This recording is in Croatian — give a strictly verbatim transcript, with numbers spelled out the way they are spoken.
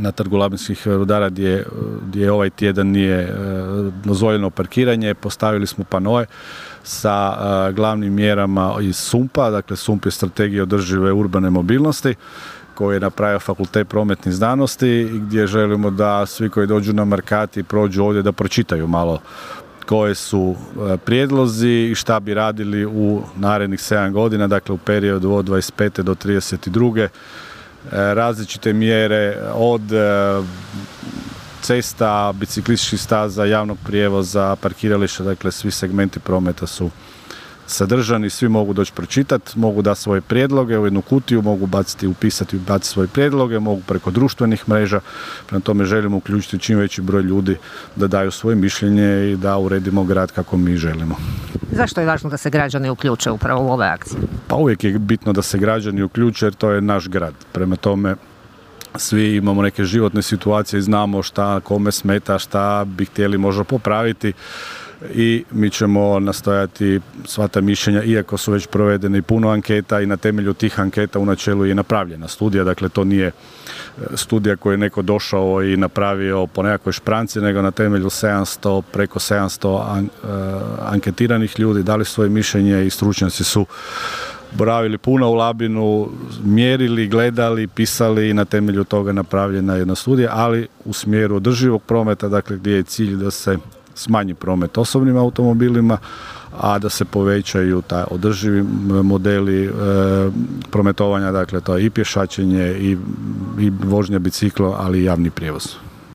na Trgu labinskih rudara gdje, gdje ovaj tjedan nije dozvoljeno parkiranje. Postavili smo panoe sa glavnim mjerama iz sumpa, dakle sump je strategija održive urbane mobilnosti koji je napravio Fakultet prometnih znanosti i gdje želimo da svi koji dođu na Markati prođu ovdje da pročitaju malo koje su prijedlozi i šta bi radili u narednih sedam godina, dakle u periodu od dvadeset pete do trideset druge različite mjere od cesta, biciklističkih staza, javnog prijevoza, parkirališta, dakle svi segmenti prometa su sadržani, svi mogu doći pročitati, mogu dati svoje prijedloge u jednu kutiju, mogu baciti, upisati i baciti svoje prijedloge, mogu preko društvenih mreža, prema tome želimo uključiti čim veći broj ljudi da daju svoje mišljenje i da uredimo grad kako mi želimo. Zašto je važno da se građani uključe upravo u ove akcije? Pa uvijek je bitno da se građani uključe jer to je naš grad, prema tome svi imamo neke životne situacije i znamo šta kome smeta, šta bi htjeli možda popraviti i mi ćemo nastojati sva ta mišljenja, iako su već provedene i puno anketa i na temelju tih anketa u načelu je napravljena studija, dakle to nije studija koju je neko došao i napravio po nekakvoj špranci, nego na temelju sedamsto, preko sedamsto an, uh, anketiranih ljudi dali svoje mišljenje i stručnjaci su boravili puno u Labinu, mjerili, gledali, pisali i na temelju toga napravljena jedna studija, ali u smjeru održivog prometa, dakle gdje je cilj da se smanji promet osobnim automobilima, a da se povećaju taj održivi modeli e, prometovanja, dakle to je i pješačenje i, i vožnja bicikla, ali i javni prijevoz.